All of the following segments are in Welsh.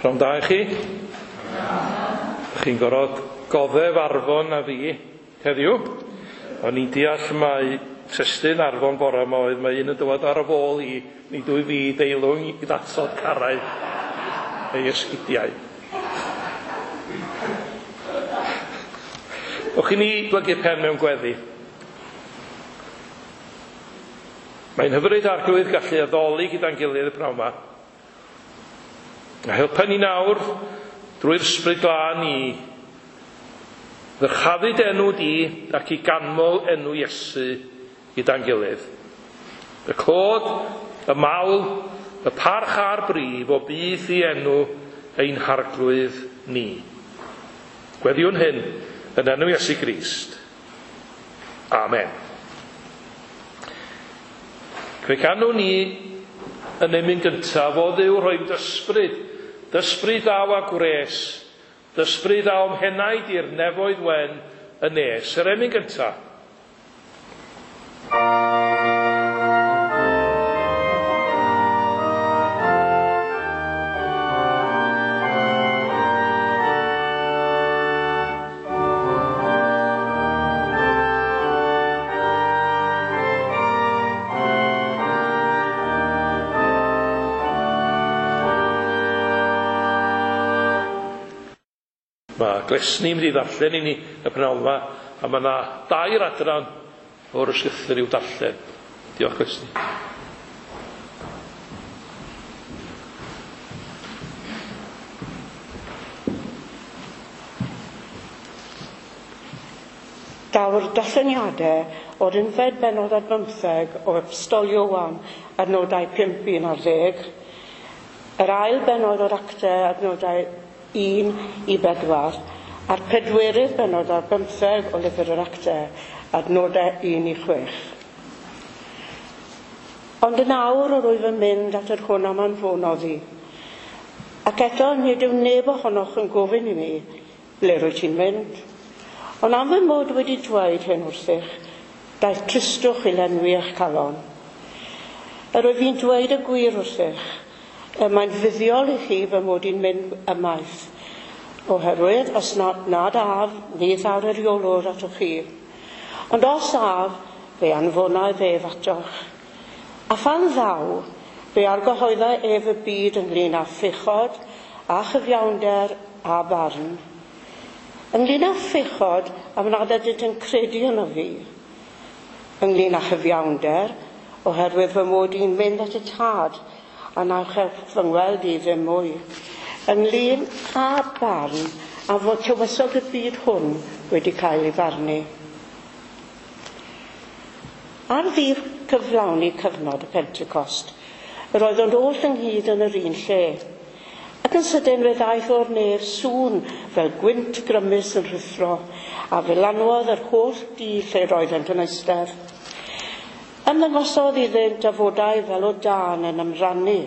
Pnawn da i chi. Chi'n gorfod goddef Arfon a fi heddiw. O'n i'n deall mai testun Arfon bore yma oedd mae un yn dywed ar y fôl i, nid wyf fi deilwng i ddatod carrau ei esgidiau. Ewch i ni blygu pen mewn gweddi. Mae'n hyfryd Arglwydd gallu addoli gyda'n gilydd y pnawn yma. A helpa ni nawr drwy'r Ysbryd Glân i ddyrchafu dy enw di ac i ganmol enw Iesu gyda'n gilydd. Y clod, y mawl, y parch a'r bri fo byth i enw ein Harglwydd ni. Gweddiwn hyn yn enw Iesu Grist. Amen. Fe ganwn ni yn emyn gyntaf, o Dduw rhoi d'ysbryd, d'ysbryd ddaw â gwres, d'ysbryd ddaw o'm henaid i'r nefoedd wen yn nes. Yr emyn gyntaf. Mae Glesni mynd i ddarllen i ni y pnawn yma, a mae yna dair adran o'r ysgrythur i'w darllen. Diolch, Glesni. Daw'r darlleniadau o'r unfed bennod ar bymtheg o Epistol Ioan adnodau 5 11, yr ail bennod o'r Actau adnodau 1 i 4, a'r pedwerydd bennod ar bymtheg o Lyfr yr Actau adnodau 1 i 6. Ond yn awr yr wyf yn mynd at yr hwn am anfonodd i. Ac eto nid yw neb ohonoch yn gofyn i mi, ble rwyt ti'n mynd? Ond am fy mod wedi dweud hyn wrthych, daeth tristwch i lenwi eich calon. Yr wyf i'n dweud y gwir wrthych, y mae'n fuddiol i chi fy mod i'n mynd ymaith, oherwydd os nad af, ni ddaw'r eiriolwr atoch chi. Ond os af, fe anfonai ef atoch. A phan ddaw, fe argyhoedda ef y byd ynglyn â phechod, a chyfiawnder a barn. Ynglyn â phechod, am nad ydynt yn credu yno fi. Ynglyn â chyfiawnder, oherwydd fy mod i'n mynd at y Tad, a na chewch fy ngweld i ddim mwy. Ynglyn â barn, a fod tywysog y byd hwn wedi cael ei farnu. Ar ddydd cyflawni cyfnod y Pentecost, yr oeddent oll ynghyd yn yr un lle. Ac yn sydyn fe ddaeth o'r nef sŵn fel gwynt grymus yn rhuthro, a fe lanwodd yr holl dŷ lle roeddent yn eistedd. Ymddangosodd iddynt dafodau fel o dân yn ymrannu,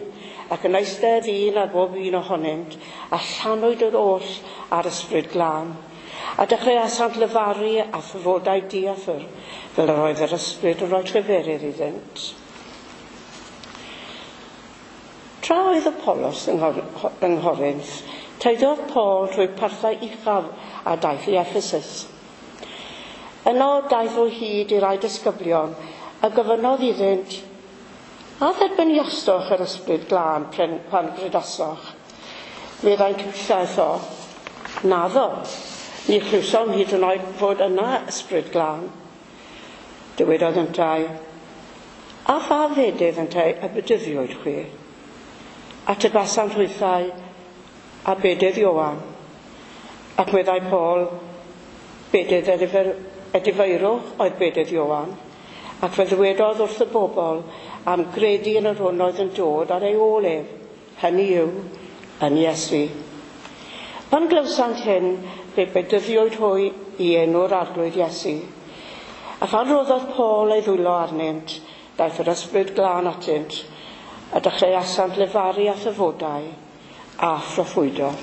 ac yn eistedd un ar bob un ohonynt, a llanwyd yr oll ar Ysbryd Glân. A dechreuasant lefaru a thafodau diathr, fel yr oedd yr ysbryd yn rhoi lleferydd iddynt. Tra oedd Apolos yng Nghorinth, teithiodd Paul trwy parthau uchaf a daeth i Ephesus. Yno daeth o hyd i rai disgyblion a gofynnodd iddynt, a dderbyniasoch yr Ysbryd Glân pan gredasoch? Meddai'n cyfieithu o, naddo, ni chlywsom hyd yn oed fod yna Ysbryd Glân. Dywedodd yntau, a pha fedydd yntau y bedyddiwyd chwi? Atebasant hwythau, a bedydd Ioan. Ac meddai Paul, bedydd edifeirwch oedd bedydd Ioan. Ac fe ddywedodd wrth y bobl am gredu yn yr hwn oedd yn dod ar ei ôl ef, hynny yw, yn Iesu. Pan glywsant hyn, fe bedyddiwyd hwy i enw'r Arglwydd Iesu. A phan roddodd Paul ei ddwylo arnynt, daeth yr Ysbryd Glân atynt, a dechreuasant lefaru a thafodau a phroffwydo.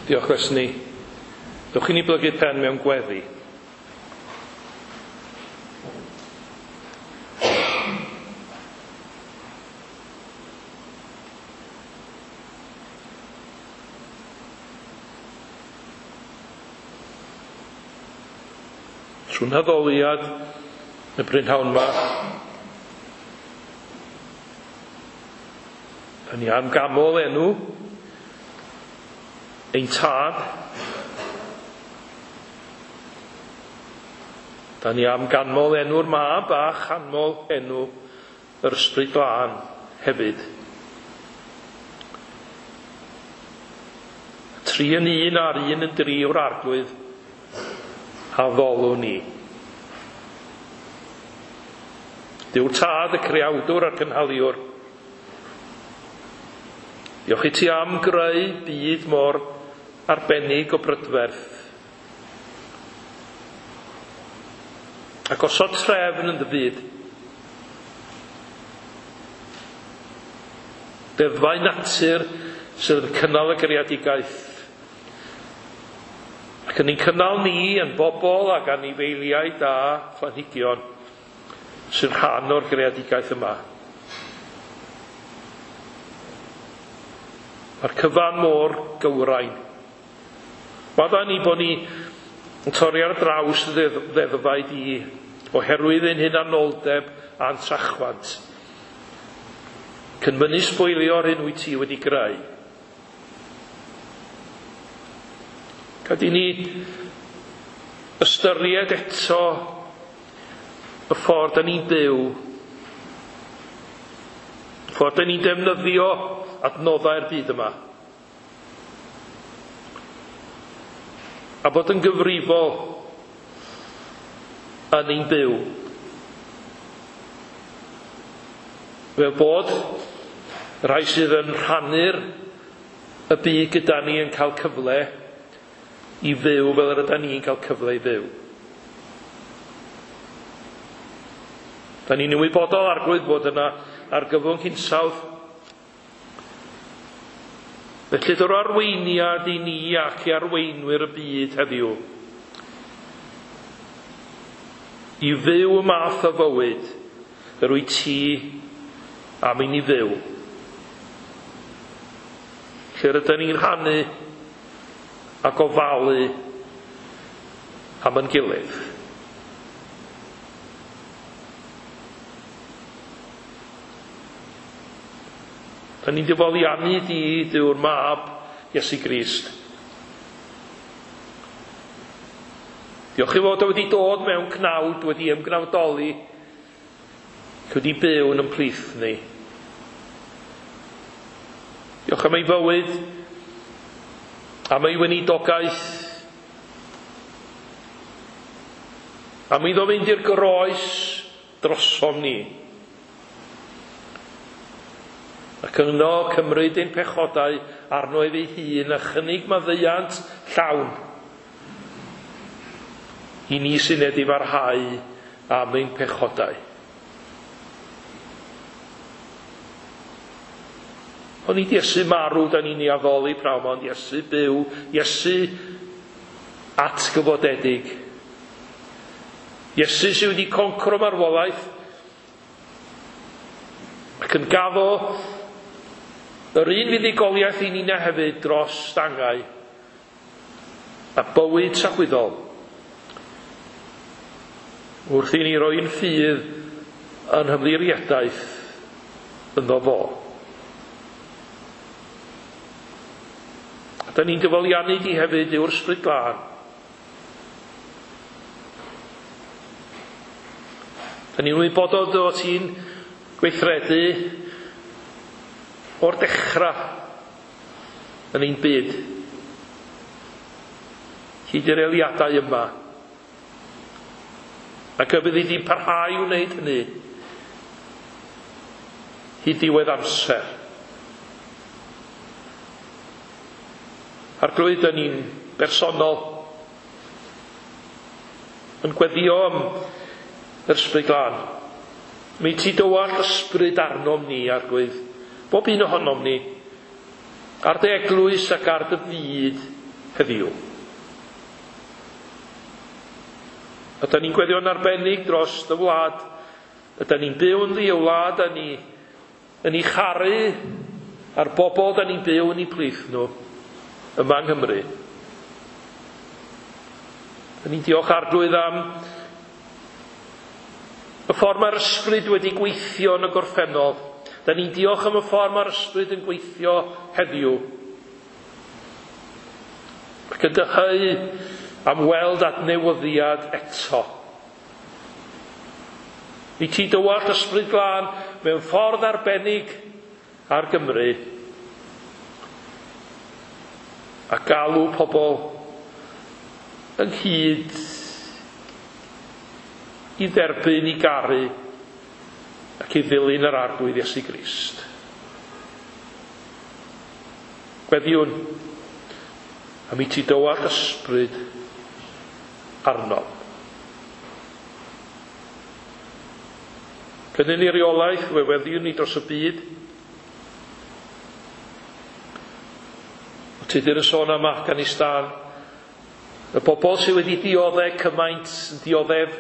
Diolch, Glesni. Dewch i ni blygu pen mewn gweddi. Trwy'n haddoliad y brynhawn yma, da ni am gamol enw ein tad. Da ni am ganmol enw'r mab a chanmol enw yr Ysbryd Glân hefyd. Tri yn un a'r un yn dri o'r Arglwydd a ddolwn ni. Duw'r Tad, y Creawdwr a'r Cynhaliwr. Diolch i ti am greu byd mor arbennig o brydferth. Ac osod trefn yn dy fyd. Deddfau natur sydd yn cynnal y greadigaeth. Ac yn ein cynnal ni yn bobl ac anifeiliaid a phlanhigion sy'n rhan o'r greadigaeth yma. Mae'r cyfan mor gywrain. Maddau ni bod ni yn torri ar draws ddeddfau di oherwydd ein hunanoldeb a'n trachwant. Cynmynnu sbwylio'r hyn wyt ti wedi greu. Gad i ni ystyried eto y ffordd da ni'n byw, y ffordd da ni'n defnyddio adnoddau'r byd yma. A bod yn gyfrifol yn ein byw. Fel bod rhai sydd yn rhannu'r y byd gyda ni yn cael cyfle i fyw fel yr ydan ni'n cael cyfle i fyw. Da ni'n ymwybodol, Arglwydd, bod yna argyfwng hinsawdd. Felly dy'r arweiniad i ni ac i arweinwyr y byd heddiw i fyw y math o fywyd yr wyt ti am i ni fyw. Lle rydyn ni'n rhannu a gofalu am ein gilydd. Da ni'n difoliannu di, Duw'r Mab, Iesu Grist. Diolch i fod o wedi dod mewn cnawd, wedi ymgnawdoli, wedi byw yn ymplith ni. Diolch am ei fywyd, am ei weinidogaeth, am iddo fynd i'r groes drosom ni. Ac yno cymryd ein pechodau arno ef ei hun a chynnig maddeuant llawn i ni sy'n edifarhau am ein pechodau. Ond nid Iesu marw da ni'n ei addoli prawn, ond Iesu byw, Iesu atgyfodedig. Iesu sydd wedi concro marwolaeth ac yn gaddo yr un fuddugoliaeth i ni'na hefyd dros dangau a bywyd tragwyddol. Wrth i ni roi'n ffydd yn hymddiriedaeth ynddo fo. A da ni'n dyfoliannu di hefyd yw'r Ysbryd Glân. Da ni'n wybodol dy fod ti'n gweithredu o'r dechrau yn ein byd. Hyd i'r eiliadau yma. Ac y byddi di'n parhau i wneud hynny hyd ddiwedd amser. Arglwydd, da ni'n bersonol yn gweddio am yr Ysbryd Glân. Mi ti dywall ysbryd arnom ni, Arglwydd, bob un ohonom ni, ar dy eglwys ac ar dy fyd heddiw. A da ni'n gweddio'n arbennig dros dy wlad. Yda ni'n byw yn ddi y wlad, da ni yn ei charu a'r bobl da ni'n byw yn ei plith nhw yma yng Nghymru. Da ni'n diolch Arglwydd am Y ffordd mae'r ysbryd wedi gweithio yn y gorffennol. Da ni'n diolch am y ffordd mae'r ysbryd yn gweithio heddiw. Ac yn dyheu am weld adnewyddiad eto. I ti dywallt ysbryd glân mewn ffordd arbennig ar Gymru a galw pobl ynghyd i dderbyn, i garu ac i ddilyn yr Arglwydd Iesu Grist. Gweddiwn am i ti dywallt ysbryd arno. Cynnyn ni reolaeth, fe weddiwn ni dros y byd. O Tudur yn sôn am Afghanistan, y bobl sydd wedi dioddef cymaint, yn dioddef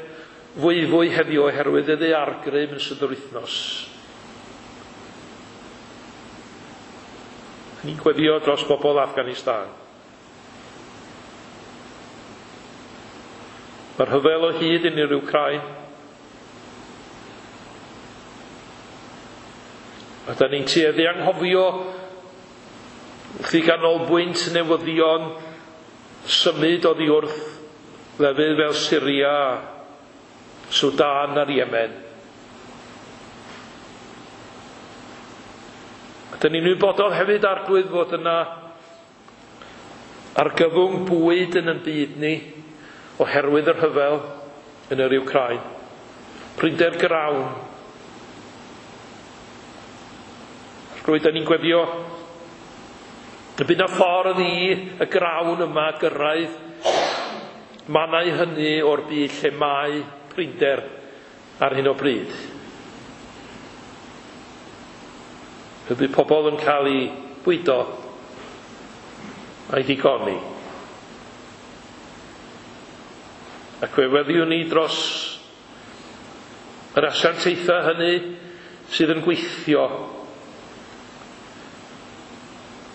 fwyfwy heddiw oherwydd y ddaeargrym yn ystod yr wythnos. Ni'n gweddio dros bobl Afghanistan. Mae'r rhyfel o hyd yn yr Wcráin. A da ni'n tueddu anghofio wrth i ganolbwynt newyddion symud oddi wrth lefydd fel Syria, Sudan a'r Yemen. A da ni'n wybodol hefyd, Arglwydd, fod yna argyfwng bwyd yn ein byd ni oherwydd y rhyfel yn yr Wcráin. Prinder grawn. Arglwydd, da ni'n gweddio y bydd na ffordd i y grawn yma gyrraedd mannau hynny o'r byd lle mae prinder ar hyn o bryd. Y bydd pobl yn cael eu bwydo a'i digoni. Ac fe weddiwn ni dros yr asiantaethau hynny sydd yn gweithio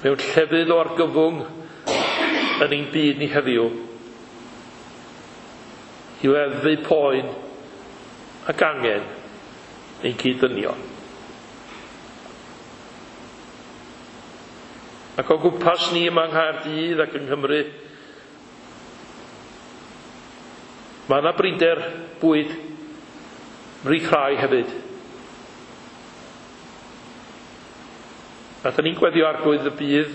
mewn llefydd o argyfwng yn ein byd ni heddiw i leddfu poen ac angen ein cyd-ddynion. Ac o gwmpas ni yma yng Nghaerdydd ac yng Nghymru, mae yna brinder bwyd ymhlith rhai hefyd. A da ni'n gweddio Arglwydd y bydd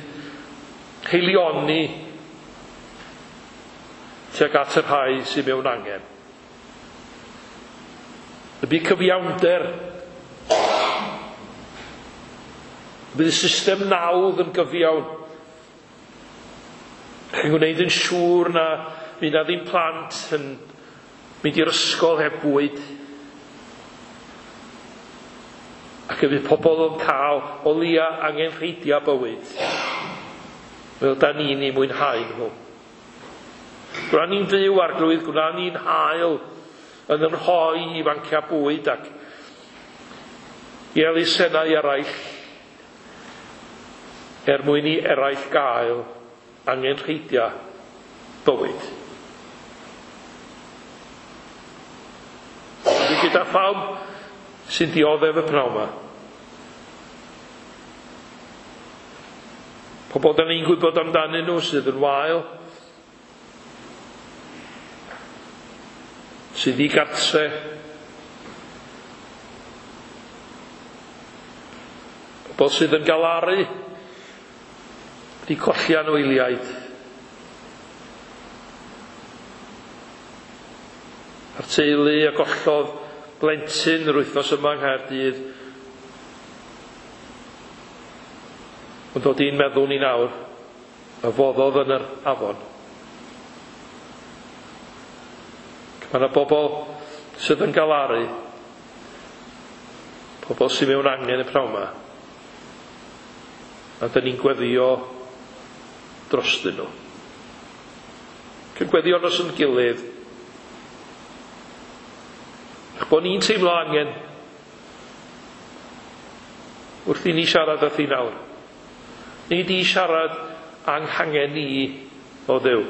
haelioni tuag at y rhai sydd mewn angen. Y bydd cyfiawnder, y bydd y system nawdd yn gyfiawn, yn gwneud yn siŵr na fydd na ddim plant yn mynd i'r ysgol heb bwyd, ac y bydd pobl yn cael o leia angenrheidiau bywyd, fel da ni'n ei mwynhau nhw. Gwna ni'n fyw, Arglwydd, gwna ni'n hael yn yn rhoi i fanciau bwyd ac i elusennau eraill, er mwyn i eraill gael angenrheidiau bywyd. Dwi gyda phawb sy'n dioddef y pnawn yma. Pobl da ni'n gwybod amdanyn nhw sydd yn wael, sydd i gartre, pobl sydd yn galaru, wedi colli anwyliaid. A'r teulu a gollodd blentyn yr wythnos yma yng Nghaerdydd, ond dod i'n meddwl ni nawr, a foddodd yn yr afon. Mae yna bobl sydd yn galaru, pobl sydd mewn angen y pnawn yma, a dyn ni'n gweddio drostyn nhw. Ac yn gweddio dros yn gilydd, eich bod ni'n teimlo angen wrth i ni siarad â thi nawr. Nid i siarad anghangen ni o Dduw.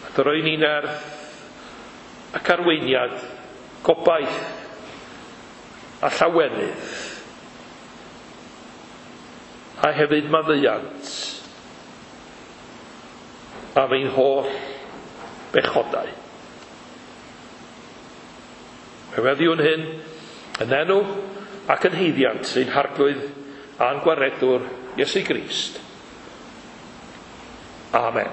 A dy roi ni nerth ac arweiniad, gobaith a llawenydd, a hefyd maddeuant am ein holl bechodau. Fe weddiwn hyn yn enw ac yn haeddiant ein Harglwydd a'n Gwaredwr Iesu Grist. Amen.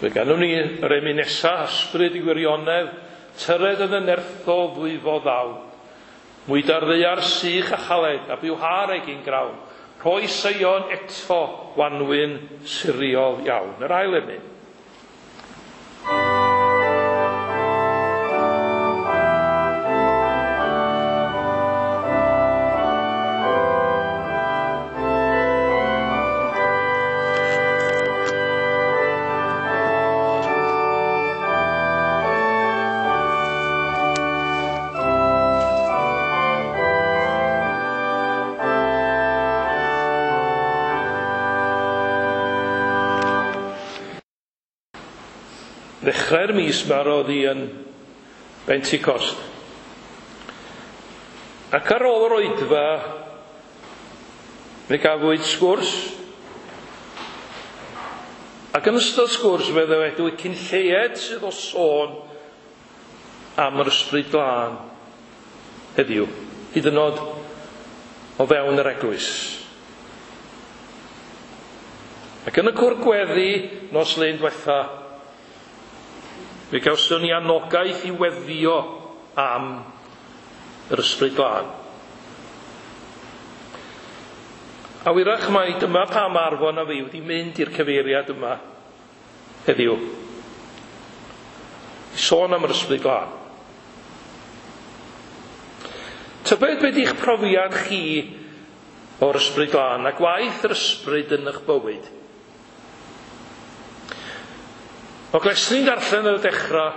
Fe ganwn ni yr emyn nesa, ysbryd i gwirionedd, tyred yn y nerthol ddwyfo ddaw. Mwyd ar ddaear sych a chaled, a bywhâr egin grawn. Rhoi Seion eto wanwyn siriol iawn. Yr ail emyn. Ddechrau'r mis yma roedd hi yn Pentecost. Ac ar ôl yr oedfa, fe gafwyd sgwrs. Ac yn ystod sgwrs fe ddywedwyd cyn lleied sydd o sôn am yr Ysbryd Glân heddiw, hyd yn oed o fewn yr eglwys. Ac yn y cwr gweddi nos Lun diwetha, fe gawson ni anogaeth i weddio am yr Ysbryd Glân. A wyrach mai dyma pam Arfon a fi wedi mynd i'r cyfeiriad yma heddiw. I sôn am yr Ysbryd Glân. Tybed be di'ch profiad chi o'r Ysbryd Glân a gwaith yr Ysbryd yn eich bywyd? O glesni'n darllen ar y dechrau,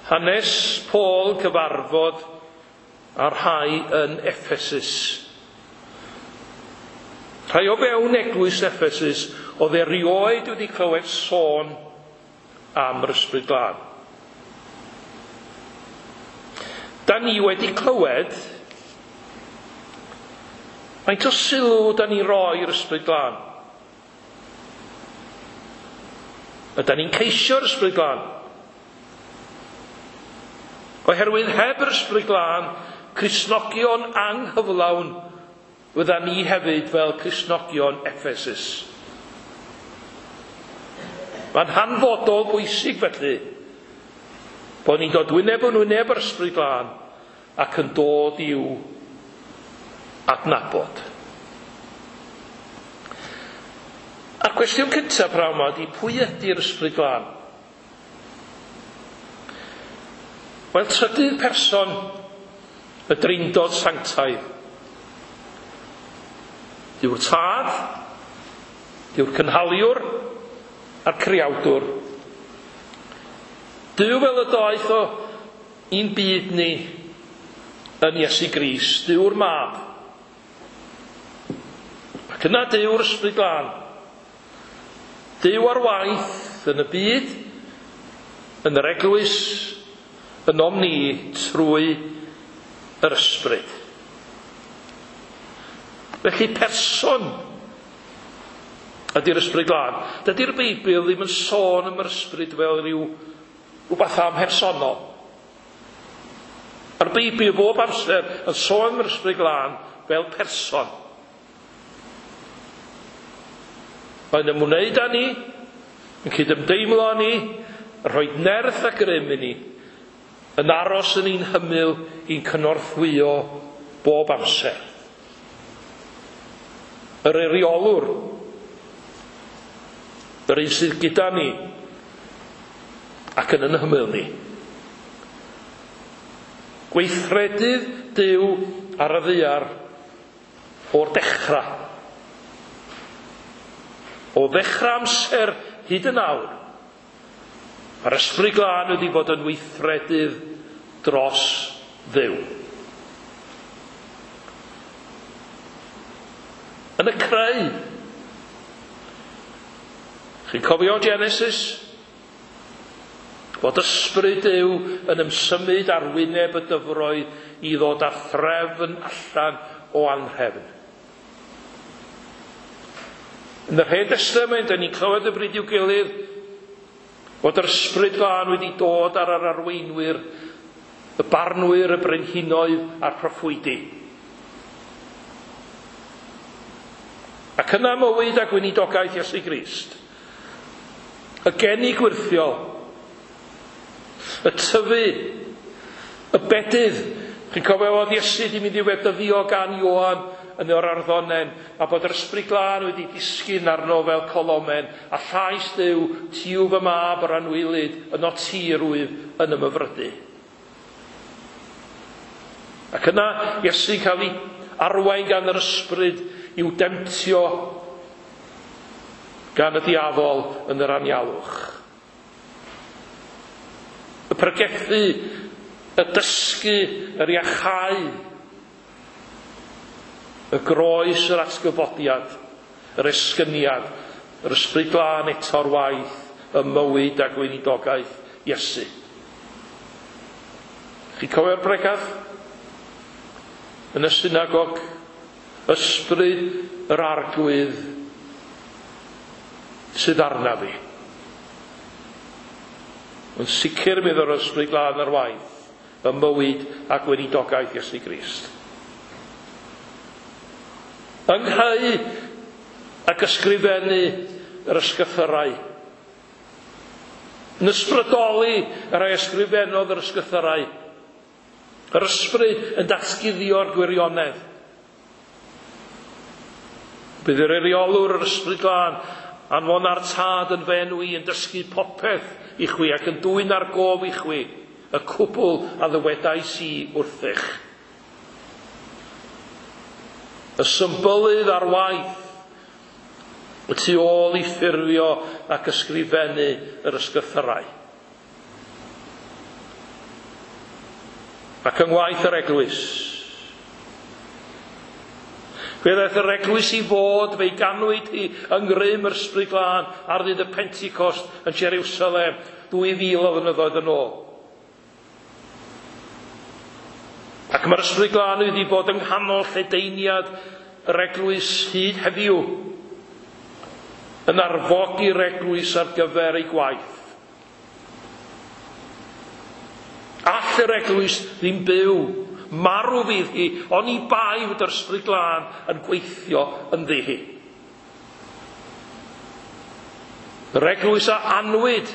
hanes Paul cyfarfod â'r rhai yn Ephesus. Rhai o fewn eglwys Ephesus oedd erioed wedi clywed sôn am yr Ysbryd Glân. Da ni wedi clywed, faint o sylw da ni roi i'r Ysbryd Glân? Ydan ni'n ceisio'r Ysbryd Glân? Oherwydd heb yr Ysbryd Glân, Cristnogion anghyflawn fyddan ni hefyd fel Cristnogion Ephesus. Mae'n hanfodol bwysig felly bod ni'n dod wyneb yn wyneb yr Ysbryd Glân ac yn dod i'w adnabod. A'r cwestiwn cyntaf prawn yma ydy, pwy ydy'r Ysbryd Glân? Wel, trydydd person y Drindod Sanctaidd. Dyw'r Tad, dyw'r Cynhaliwr a'r Creawdwr. Duw fel y daeth o i'n byd ni yn Iesu Grist, Duw'r Mab. Ac yna Duw'r Ysbryd Glân. Duw ar waith yn y byd, yn yr eglwys, ynom ni trwy yr Ysbryd. Felly person ydy'r Ysbryd Glân. Dydy'r Beibl ddim yn sôn am yr Ysbryd fel rhyw rhywbeth amhersonol. Mae'r Beibl bob amser yn sôn am yr Ysbryd Glân fel person. Mae'n ymwneud â ni, yn cydymdeimlo â ni, yn rhoi nerth a grym i ni, yn aros yn ein hymyl i'n cynorthwyo bob amser. Yr eiriolwr, yr un sydd gyda ni ac yn ein hymyl ni. Gweithredydd Duw ar y ddaear o'r dechrau. O ddechrau amser hyd yn awr, mae'r Ysbryd Glân wedi bod yn weithredydd dros Dduw. Yn y creu. Chi'n cofio Genesis? Bod Ysbryd Duw yn ymsymud ar wyneb y dyfroedd i ddod â threfn allan o anrhefn. Yn yr Hen Destament, dyn ni'n clywed y bryd i'w gilydd bod yr Ysbryd Glân wedi dod ar yr arweinwyr, y barnwyr, y brenhinoedd a'r proffwydi. Ac yna mywyd a gweinidogaeth Iesu Grist. Y geni gwyrthiol, y tyfu, y bedydd. Chi'n cofio fod Iesu wedi mynd i wedyddio gan Ioan yn yr arddonen, a bod yr Ysbryd Glân wedi disgyn arno fel colomen, a llais Duw, ti yw fy mab yr anwylyd, yno ti yr wyf yn ymhyfrydu. Ac yna Iesu'n cael ei arwain gan yr Ysbryd i'w demtio gan y diafol yn yr anialwch. Y pregethu, y dysgu, yr iachau, y groes, yr atgyfodiad, yr esgyniad, yr Ysbryd Glân eto'r waith, y mywyd a gweinidogaeth Iesu. Chi'n cofio'r bregath? Yn y synagog, Ysbryd yr Arglwydd sydd arna fi. Yn sicr mi ddo'r Ysbryd Glân ar waith, y mywyd a gweinidogaeth Iesu Grist. Ynghau ac ysgrifennu yr ysgythyrau. Yn ysbrydoli yr rhai ysgrifennodd yr ysgythyrau. Yr ysbryd yn datguddio'r gwirionedd. Bydd yr eiriolwr yr Ysbryd Glân anfon a'r Tad yn fy enw i yn dysgu popeth i chwi ac yn dwyn ar gof i chwi y cwbl a ddywedais i wrthych. Y symbylydd ar waith y tu ôl i ffurfio ac ysgrifennu yr ysgythyrau. Ac yng ngwaith yr eglwys. Fe ddaeth yr eglwys i fod, fe'i ganwyd hi yng ngrym yr Ysbryd Glân ar ddydd y Pentecost yn Jerusalem 2000 o flynyddoedd yn ôl. Ac mae'r Ysbryd Glân wedi bod yng nghanol lledaeniad yr eglwys hyd heddiw, yn arfogi'r eglwys ar gyfer ei gwaith. All yr eglwys ddim byw, marw fydd hi, oni bai fod yr Ysbryd Glân yn gweithio ynddi hi. Yr eglwys a anwyd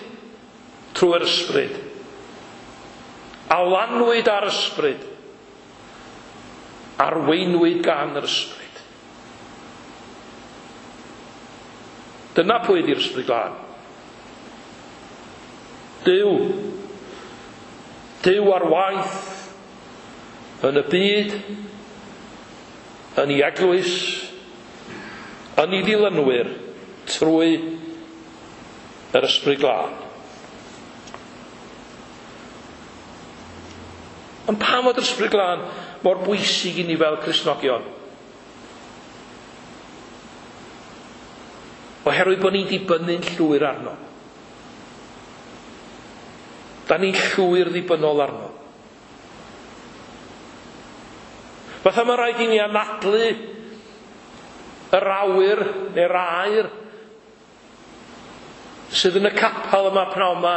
trwy'r Ysbryd, a lanwyd ar Ysbryd, arweinwyd gan yr Ysbryd. Dyna pwy ydi'r Ysbryd Glân. Duw. Duw ar waith yn y byd, yn ei eglwys, yn ei ddilynwyr, trwy yr Ysbryd Glân. Ond pam fod yr Ysbryd Glân mor bwysig i ni fel Cristnogion? Oherwydd bod ni'n dibynnu'n llwyr arno. Da ni'n llwyr ddibynnol arno. Fatha mae rhaid i ni anadlu yr awyr neu'r aer sydd yn y capel yma pnawn yma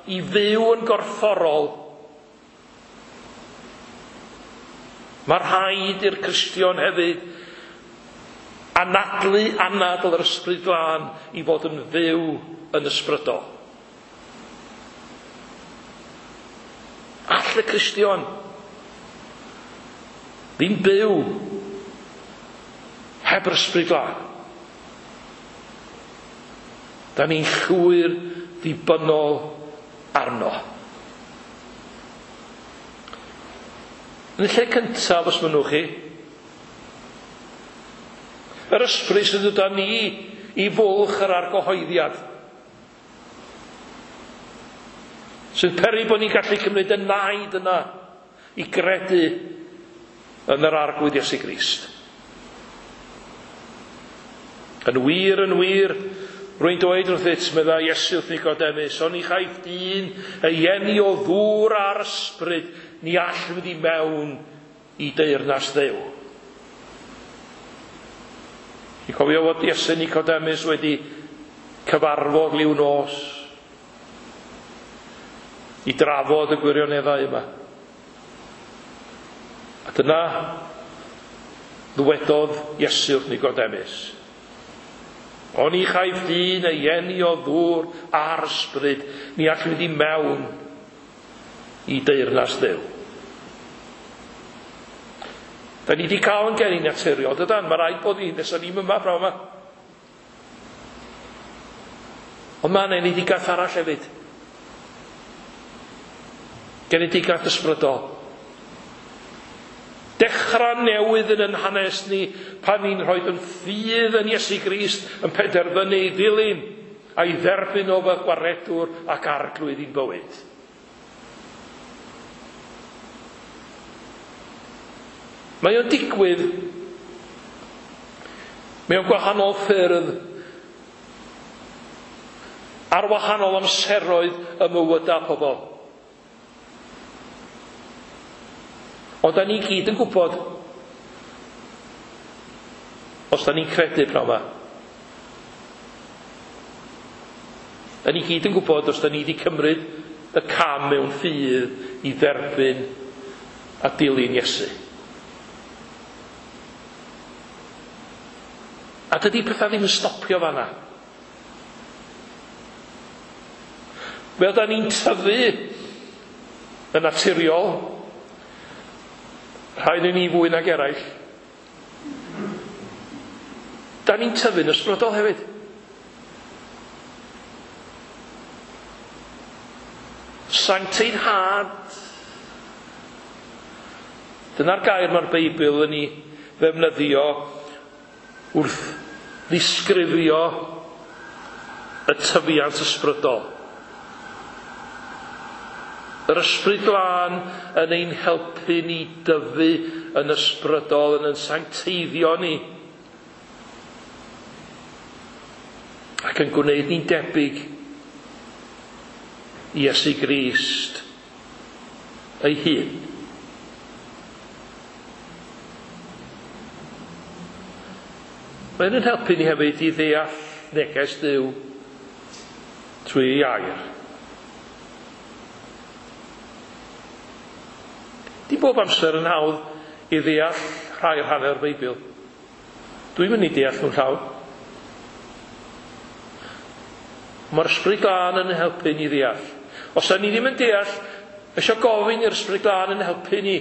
i fyw yn gorfforol. Mae rhaid i'r Cristion hefyd anadlu anadl yr Ysbryd Glân i fod yn fyw yn ysbrydol. All y Cristion ddim byw heb yr Ysbryd Glân. Da ni'n llwyr ddibynnol arno. Yn y lle cyntaf, os mynnwch chi, yr ysbryd sydd gyda ni i fwlch yr argyhoeddiad. Sy'n peri bod ni'n gallu cymryd y naid yna i gredu yn yr Arglwydd Iesu Grist. Yn wir, yn wir, rwy'n dweud wrthyt, meddai Iesu wrth Nicodemus, oni chaiff dyn ei eni o ddŵr a'r ysbryd, ni all fynd i mewn i deyrnas Dduw. Ti'n cofio fod Iesu Nicodemus wedi cyfarfod liw nos i drafod y gwirioneddau yma. A dyna ddwedodd Iesu wrth Nicodemus. Oni chaiff dyn ei eni o ddŵr a'r ysbryd, ni all fynd i mewn i deyrnas Dduw. Da ni wedi cael yn geni naturiol, dydan? Mae rhaid bod ni, nesa ni'm yma prawn yma. Ond mae yna enedigaeth arall hefyd. Genedigaeth ysbrydol. Dechrau newydd yn yn hanes ni pan ni'n rhoi yn ffydd yn Iesu Grist yn penderfynu ei ddilyn a'i dderbyn o fel gwaredwr ac arglwydd i'n bywyd. Mae o'n digwydd mewn gwahanol ffyrdd ar wahanol amseroedd y mywydau pobl. Ond da ni gyd yn gwybod, os da ni'n credu pnawn yma, da ni gyd yn gwybod os da ni wedi cymryd y cam mewn ffydd i dderbyn a dilyn Iesu. A dydy pethau ddim yn stopio fanna. Fel da ni'n tyfu yn naturiol, rhai yn ni fwy nag eraill, da ni'n tyfu'n ysbrydol hefyd. Sancteiddhad. Dyna'r gair mae'r Beibl yn ei ddefnyddio wrth ddisgrifio y tyfiant ysbrydol. Yr ysbryd glân yn ein helpu ni dyfu yn ysbrydol, yn sancteiddio ni, ac yn gwneud ni'n debyg i Iesu Grist ei hun. Mae'n yn helpu ni hefyd i ddeall neges Duw trwy ei air. Di bob amser yn hawdd i ddeall rhai o'r hanner Beibl. Dwi'n mynd i deall nhw'n llawn. Mae'r Ysbryd Glân yn helpu ni ddeall. Os da ni ddim yn deall, eisiau gofyn i'r Ysbryd Glân yn helpu ni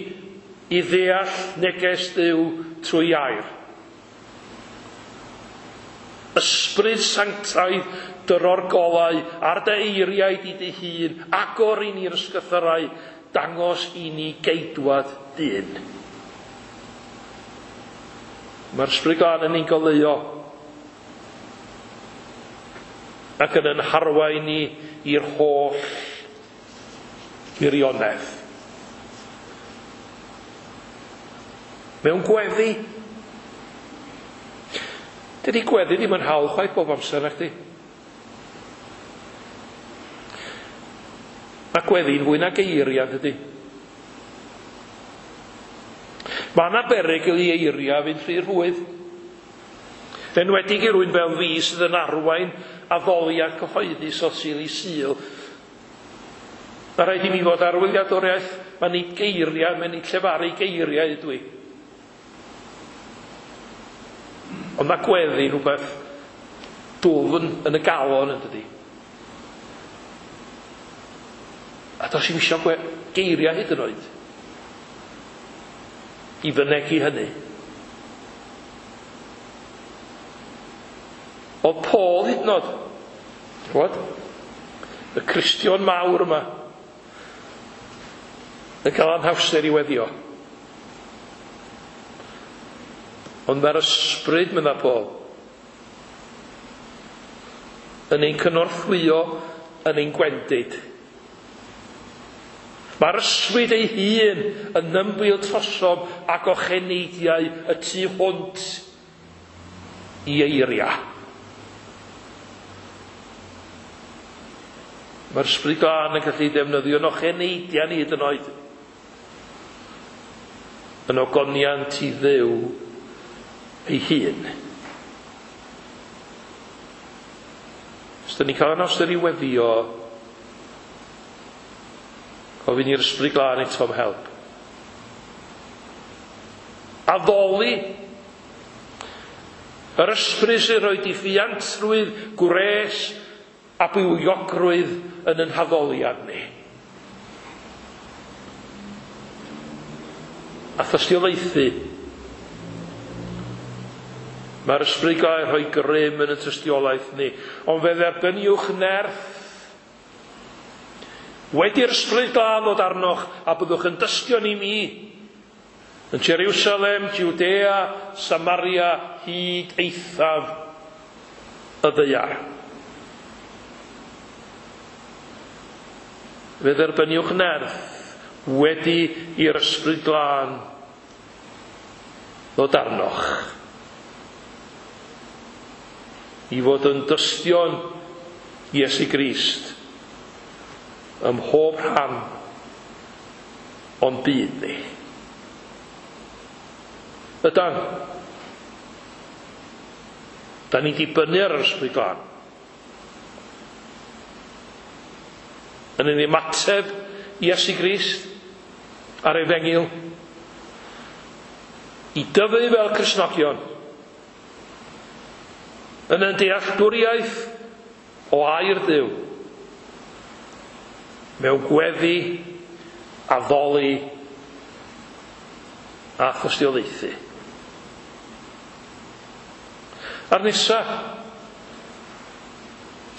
i ddeall neges Duw trwy air. Ysbryd sanctaidd dyro'r golau ar dy eiriau di dy hun, agor i ni'r ysgythyrau, dangos i ni geidwad dyn. Mae'r Ysbryd Glân yn ein goleuo ac yn ein harwain ni i'r holl wirionedd. Mewn gweddi. Dydy gweddi ddim yn hawdd chwaith bob amser, nachdi? Mae gweddi'n fwy na geiriau, dydy. Mae yna berygl i eiriau fynd rhy rhwydd. Enwedig i rywun fel fi sydd yn arwain addoliad cyhoeddus o Sul i Sul. Mae rhaid i mi fod ar wyliadwriaeth, mae nid geiriau, mae nid llefaru geiriau ydw i. Ond mae gweddi'n rhywbeth dwfn yn y galon, yn dydi. A does i'm isio geiriau hyd yn oed i fynegi hynny. Oedd Paul hyd yn oed, ch'mod, y Cristion mawr yma, yn cael anhawster i weddio. Ond mae'r ysbryd, medda Paul, Yn ein cynorthwyo yn ein gwendid. Mae'r ysbryd ei hun yn ymbil trosom ac ocheneidiau y tu hwnt i eiriau. Mae'r ysbryd glân yn gallu defnyddio'n ocheneidiau ni hyd yn oed. Yn ogoniant i Dduw ei hun. Os dyn ni'n cael anawster i weddio, gofyn i'r ysbryd glân eto am help. Addoli. Yr ysbryd sy'n rhoi diffuantrwydd, gwres a bywiogrwydd yn ein haddoliad ni. A thystiolaethu. Mae'r ysbryd glân rhoi grym yn y tystiolaeth ni. Ond fe dderbyniwch nerth wedi'r ysbryd glân ddod arnoch a byddwch yn dystion i mi. Yn Jerusalem, Judea, Samaria, hyd eithaf y ddaear. Fe dderbyniwch nerth wedi i'r ysbryd glân ddod arnoch. I fod yn dystion Iesu Grist ym mhob rhan o'n byd ni. Ydan. Da ni'n dibynnu ar yr ysbryd glân. Yn ein ymateb i Iesu Grist a'r Efengyl i dyfu fel Cristnogion yn ein dealltwriaeth o air Duw mewn gweddi, addoli a thystiolaethu. A'r nesa,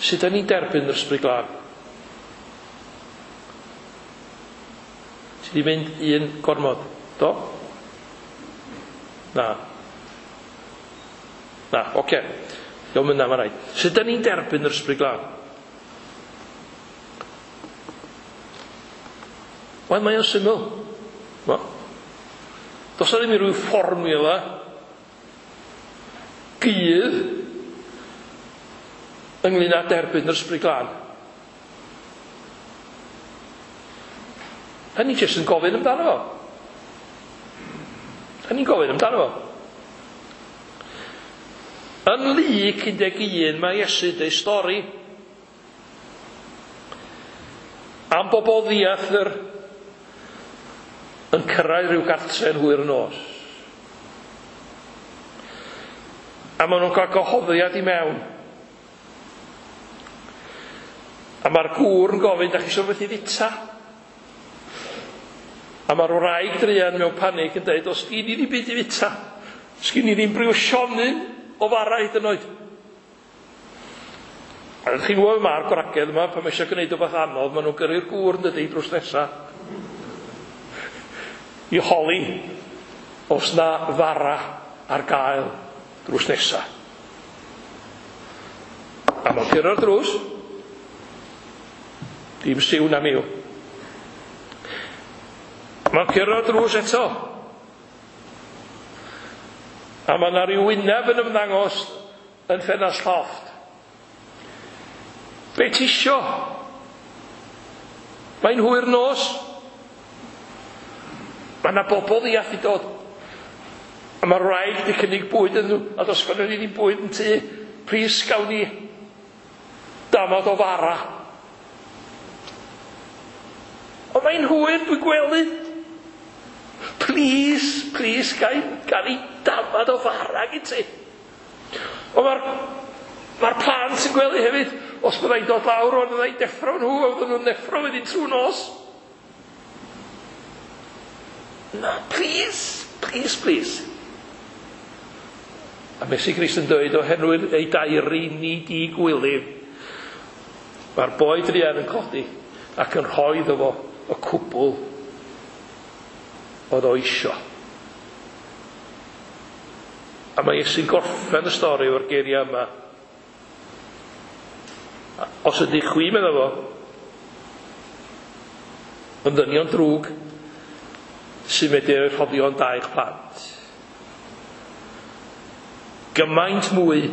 sut da ni'n derbyn yr ysbryd glân? Ti di mynd un gormod, do? Na. Na, oce. Diolch yna, mae rhaid. Sut da ni'n derbyn yr ysbryd glân? Wel, mae o'n syml. No. Does 'na ddim i ryw fformiwla gudd ynglyn â derbyn yr ysbryd glân. Da ni jyst yn gofyn amdano fo. Da ni'n gofyn amdano fo. Yn Luc 11 mae Iesu deud stori am bobl ddiathr yn cyrraedd rhyw gartre yn hwyr y nos. A maen nhw'n cael gwahoddiad i mewn. A mae'r gŵr yn gofyn, da chi eisiau rhywbeth i fita? A mae'r wraig druan mewn panig yn dweud, os gyn i ddim byd i fita, sgyn i ddim briwsionyn o fara hyd yn oed. A ydych chi'n gwybod mae'r gwragedd yma, pan mae eisiau gwneud rhywbeth anodd, maen nhw'n gyrru'r gŵr yn dydy drws nesa i holi os na fara ar gael drws nesa. A mae'n curo'r drws. Dim siw na miw. Mae'n curo'r drws eto. A mae yna rhyw wyneb yn ymddangos yn ffenast llofft. Be ti isio? Mae'n hwyr nos. Mae yna bobl ddiath i dod. A mae'r wraig wedi cynnig bwyd iddyn nhw, a does gynnon ni ddim bwyd yn tŷ. Plis gawn ni damad o fara. Ond mae'n hwyr, dwi'n gwely. Plis, plis, gael i damad o fara gyd ti. Ond mae'r plant yn gwely hefyd. Os byddai'n dod lawr, o'n byddai'n deffro nhw, a fydden nhw'n neffro wedyn trwy nos. Na, please, please, please. A Iesu Grist yn dweud, oherwydd ei dairi ni di gwilydd, mae'r boi druan yn codi ac yn rhoi iddo fo y cwbl oedd o isio. A mae Iesu'n gorffen y stori o'r geiriau yma. Os ydych chwi, medda fo, yn ddynion drwg sy'n medru rhoi rhoddion da i'ch plant, gymaint mwy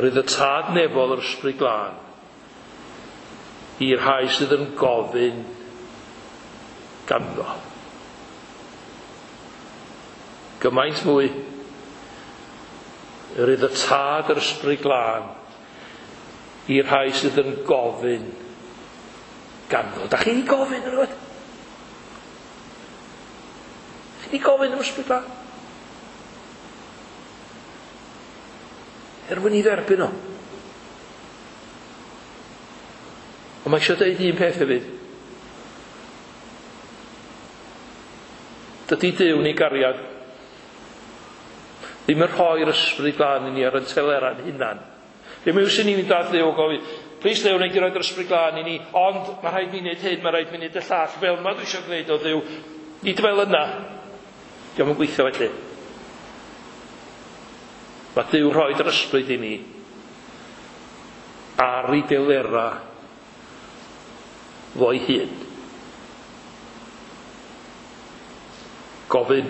rydd y Tad nefol yr Ysbryd Glân i'r rhai sydd yn gofyn ganddo. Gymaint mwy rydd y Tad yr Ysbryd Glân i'r rhai sydd yn gofyn ganddo. Da chi 'di gofyn yn rhywbeth? Chi 'di gofyn am Ysbryd Glân? Er mwyn i dderbyn o. Ond mae eisiau dweud un peth hefyd. Dydy Duw ni gariad ddim yn rhoi'r Ysbryd Glân i ni ar y telera'n hunan. Ddim yw sy'n ni'n mynd at Dduw o gofyn, plis Dduw, wneud i roi'r Ysbryd Glân i ni, ond mae rhaid mi wneud hyn, mae rhaid mi wneud y llall, fel yma dwi eisiau gwneud o Dduw. Nid fel yna. Dio'm yn gweithio felly. Mae Duw rhoi'r Ysbryd i ni ar ei delera fo'i hun. Gofyn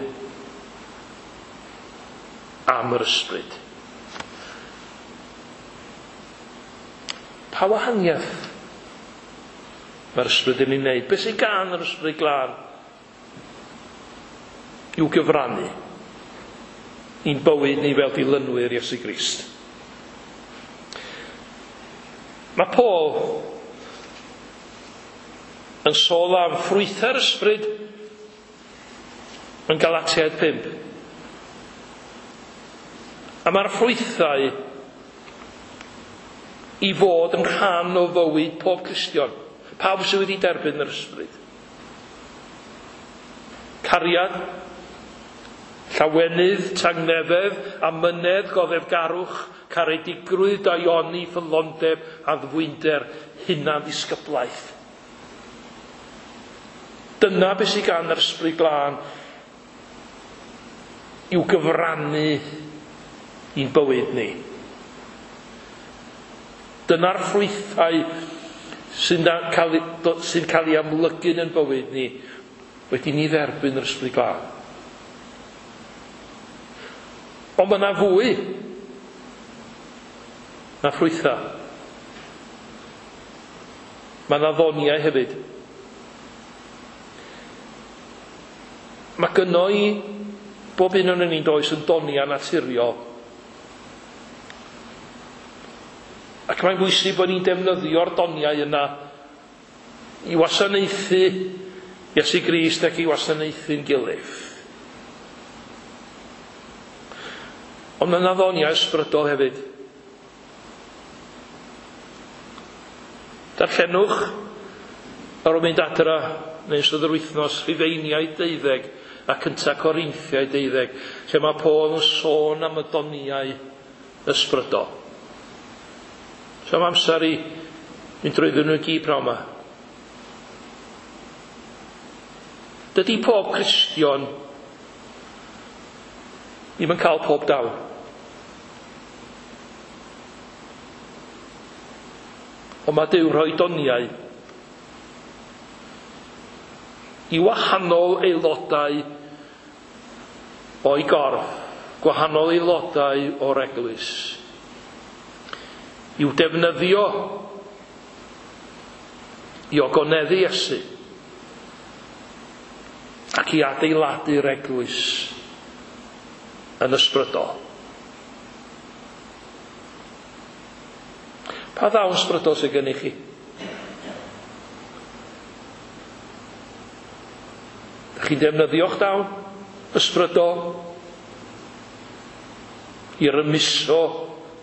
am yr Ysbryd. Pa wahaniaeth mae'r Ysbryd yn ei wneud? Beth sydd gan yr Ysbryd Glân i'w gyfrannu i'n bywyd ni fel dilynwyr Iesu Grist? Mae Paul yn sôn am ffrwythau'r Ysbryd yn Galatiaid 5. A mae'r ffrwythau i fod yn rhan o fywyd pob Cristion, pawb sydd wedi derbyn yr Ysbryd. Cariad, llawenydd, tangnefedd, amynedd, goddefgarwch, caredigrwydd, daioni, ffyddlondeb, addfwynder, hunanddisgyblaeth. Dyna beth sydd gan yr Ysbryd Glân i'w gyfrannu i'n bywyd ni. Dyna'r ffrwythau sy'n cael ei amlygu yn bywyd ni wedi ni dderbyn yr Ysbryd Glân. Ond mae yna fwy na ffrwythau. Mae yna ddoniau hefyd. Mae gynno i bob un o'n ni'n does yn doniau naturiol. Ac mae'n bwysig bod ni'n defnyddio'r doniau yna i wasanaethu Iesu Grist ac i wasanaethu'n gilydd. Ond mae yna ddoniau ysbrydol hefyd. Darllenwch ar ôl mynd adra neu ystod yr wythnos Rhufeiniaid 12 a 1 Corinthiaid 12, lle mae Paul yn sôn am y doniau ysbrydol. So am amser i mynd drwyddyn nhw i gyd pnawn yma. Dydy pob Cristion ddim yn cael pob dawn. Ond mae Duw rhoi doniau i wahanol aelodau o'i gorff, gwahanol aelodau o'r eglwys, i'w defnyddio i ogoneddu Iesu ac i adeiladu'r eglwys yn ysbrydol. Pa ddawn ysbrydol sydd gennych chi? Dach chi'n defnyddio'ch dawn ysbrydol i rymuso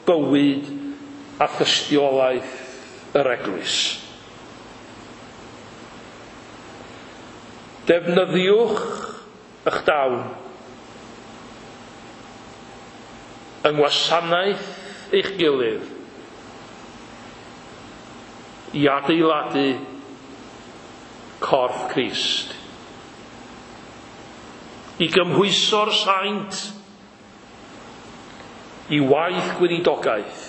bywyd a thystiolaeth yr eglwys? Defnyddiwch eich dawn yng ngwasanaeth eich gilydd i adeiladu corff Crist, i gymhwyso'r saint i waith gweinidogaeth,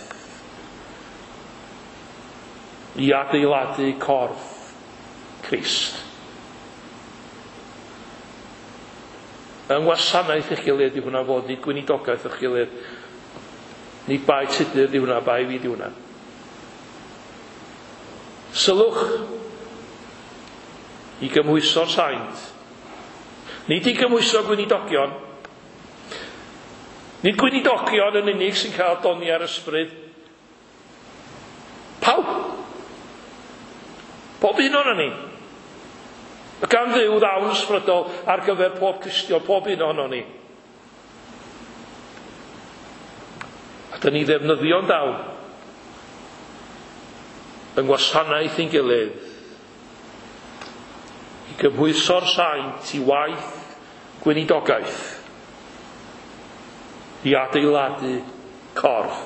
I adeiladu corff Crist. Yng ngwasanaeth eich gilydd di hwnna fod, nid gweinidogaeth eich gilydd. Nid bai Tudur di hwnna, bai fi di hwnna. Sylwch i gymhwyso'r saint. Nid i gymhwyso gweinidogion. Nid gweinidogion yn unig sy'n cael doni ar ysbryd. Pawb. Pob un ohonon ni. Mae gan Dduw ddawn ysbrydol ar gyfer pob Cristion, pob un ohonon ni. A dyn ni ddefnyddio'n dawn yng ngwasanaeth ein gilydd i gymhwyso'r saint i waith gweinidogaeth i adeiladu corff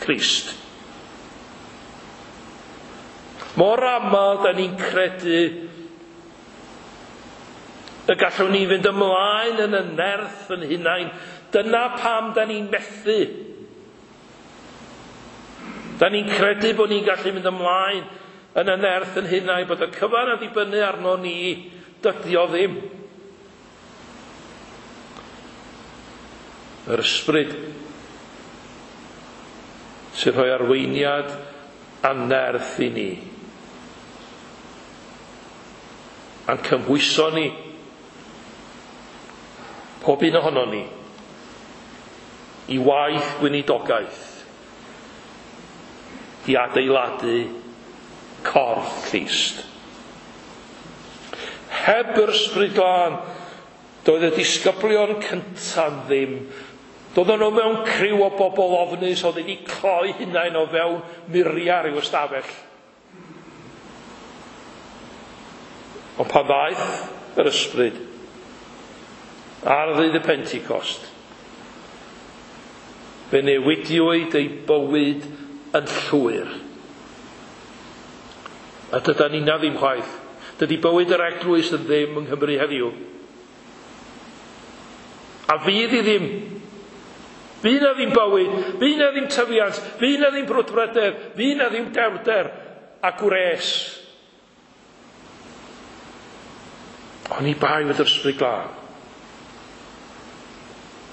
Crist. Mor aml da ni'n credu y gallwn ni fynd ymlaen yn y nerth yn hunain. Dyna pam da ni'n methu. Da ni'n credu bod ni'n gallu mynd ymlaen yn y nerth yn hunain, bod y cyfan yn dibynnu arno ni, dydy o ddim. Yr ysbryd sy'n rhoi arweiniad a nerth i ni. A'n cymhwyso ni, pob un ohonon ni, i waith gweinidogaeth, i adeiladu corff Crist. Heb yr Ysbryd Glân, doedd y disgyblion cyntaf ddim. Doedden nhw mewn criw o bobl ofnus oedd wedi cloi hunain o fewn muriau rhyw ystafell. Ond pan ddaeth yr ysbryd ar ddydd y Pentecost, fe newidiwyd eu bywyd yn llwyr. A dydan ni'na ddim chwaith. Dydy bywyd yr eglwys yn ddim yng Nghymru heddiw. A fydd i ddim. Fydd na ddim bywyd, fydd na ddim tyfiant, fydd na ddim brwdfrydedd, fydd na ddim dewrder a gwres. Oni bai fod yr Ysbryd Glân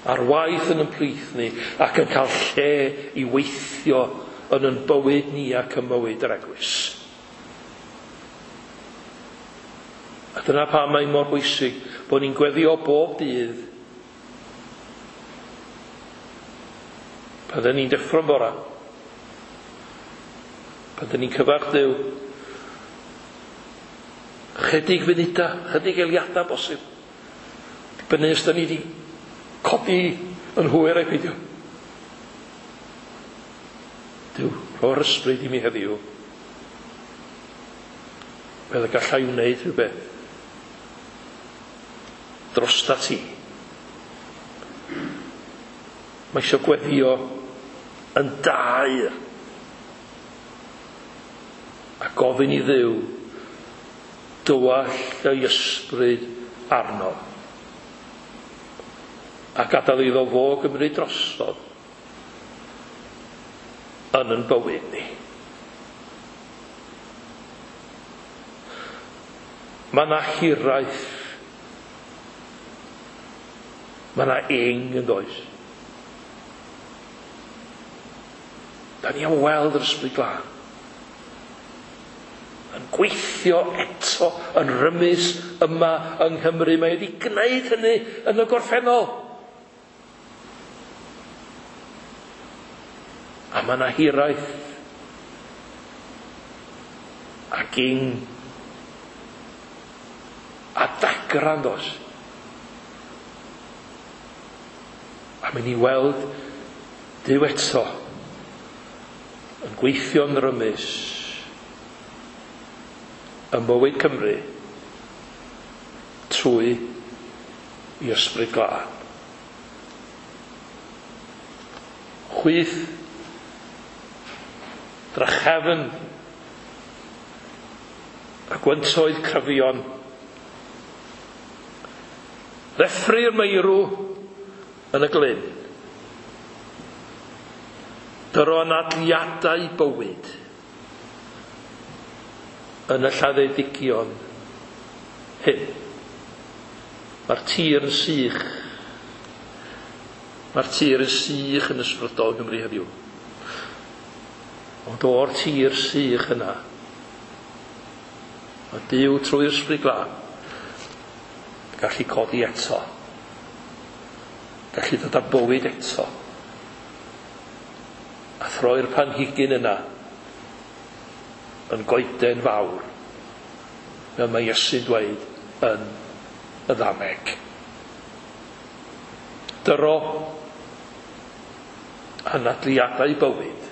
ar waith yn ein plith ni ac yn cael lle i weithio yn ein bywyd ni ac yn mywyd yr eglwys. A dyna pam mae'n mor bwysig bod ni'n gweddio bob dydd pan dyn ni'n deffro'n bora, pan dyn ni'n cyfarch Duw, chydig funudau, chydig eiliadau bosib. Dibynnu os dyn ni wedi codi yn hwyr ai peidio. Duw, rho'r ysbryd i mi heddiw, fel y gallai wneud rhywbeth drosta ti. Mae eisiau gweddio yn daer a gofyn i Dduw dywallt ei ysbryd arno a gadael iddo fo gymryd drosodd yn ein bywyd ni. Mae yna hiraeth, mae yna ing yn does. Da ni am weld yr Ysbryd Glân yn gweithio eto yn rymus yma yng Nghymru. Mae wedi gwneud hynny yn y gorffennol. A mae yna hiraeth ac ing a dagra yn does. A mynd i weld Duw eto yn gweithio'n rymus ym mywyd Cymru trwy i Ysbryd Glân. Chwyth drachefn a gwyntoedd cryfion, ddeffry'r meirw yn y glyn, dyro anadliadau bywyd yn y lladdedigion hyn. Mae'r tir yn sych. Mae'r tir yn sych yn ysbrydol Gymru heddiw. Ond o'r tir sych yna, mae Duw trwy'r Ysbryd Glân gallu codi eto. Gallu dod â bywyd eto. A throi'r planhigyn yna yn goeden fawr, fel mae Iesu'n dweud yn y ddameg. Dyro anadliadau bywyd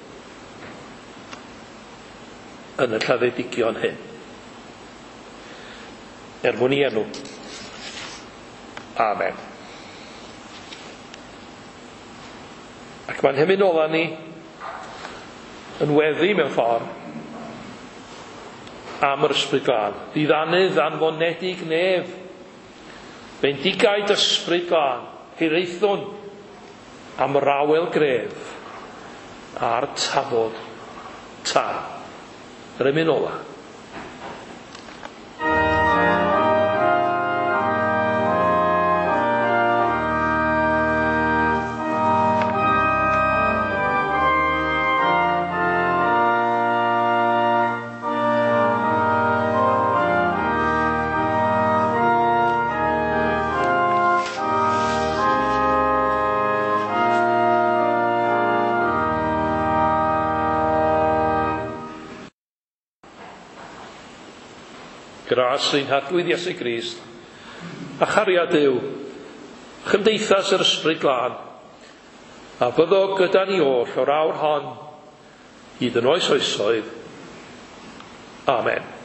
yn y lladdedigion hyn. Er mwyn i enw. Amen. Ac mae'n hymyn ola ni yn weddi mewn ffordd am yr Ysbryd Glân. Ddiddanydd anfonedig nef. Bendigaid Ysbryd Glân. Hiraethwn am yr awel gref a'r tafod tân. Yr emyn ola. Gras ein Harglwydd Iesu Grist, a chariad Duw, chymdeithas yr Ysbryd Glân, a byddo gyda ni oll o'r awr hon, hyd yn oes oesoedd. Amen.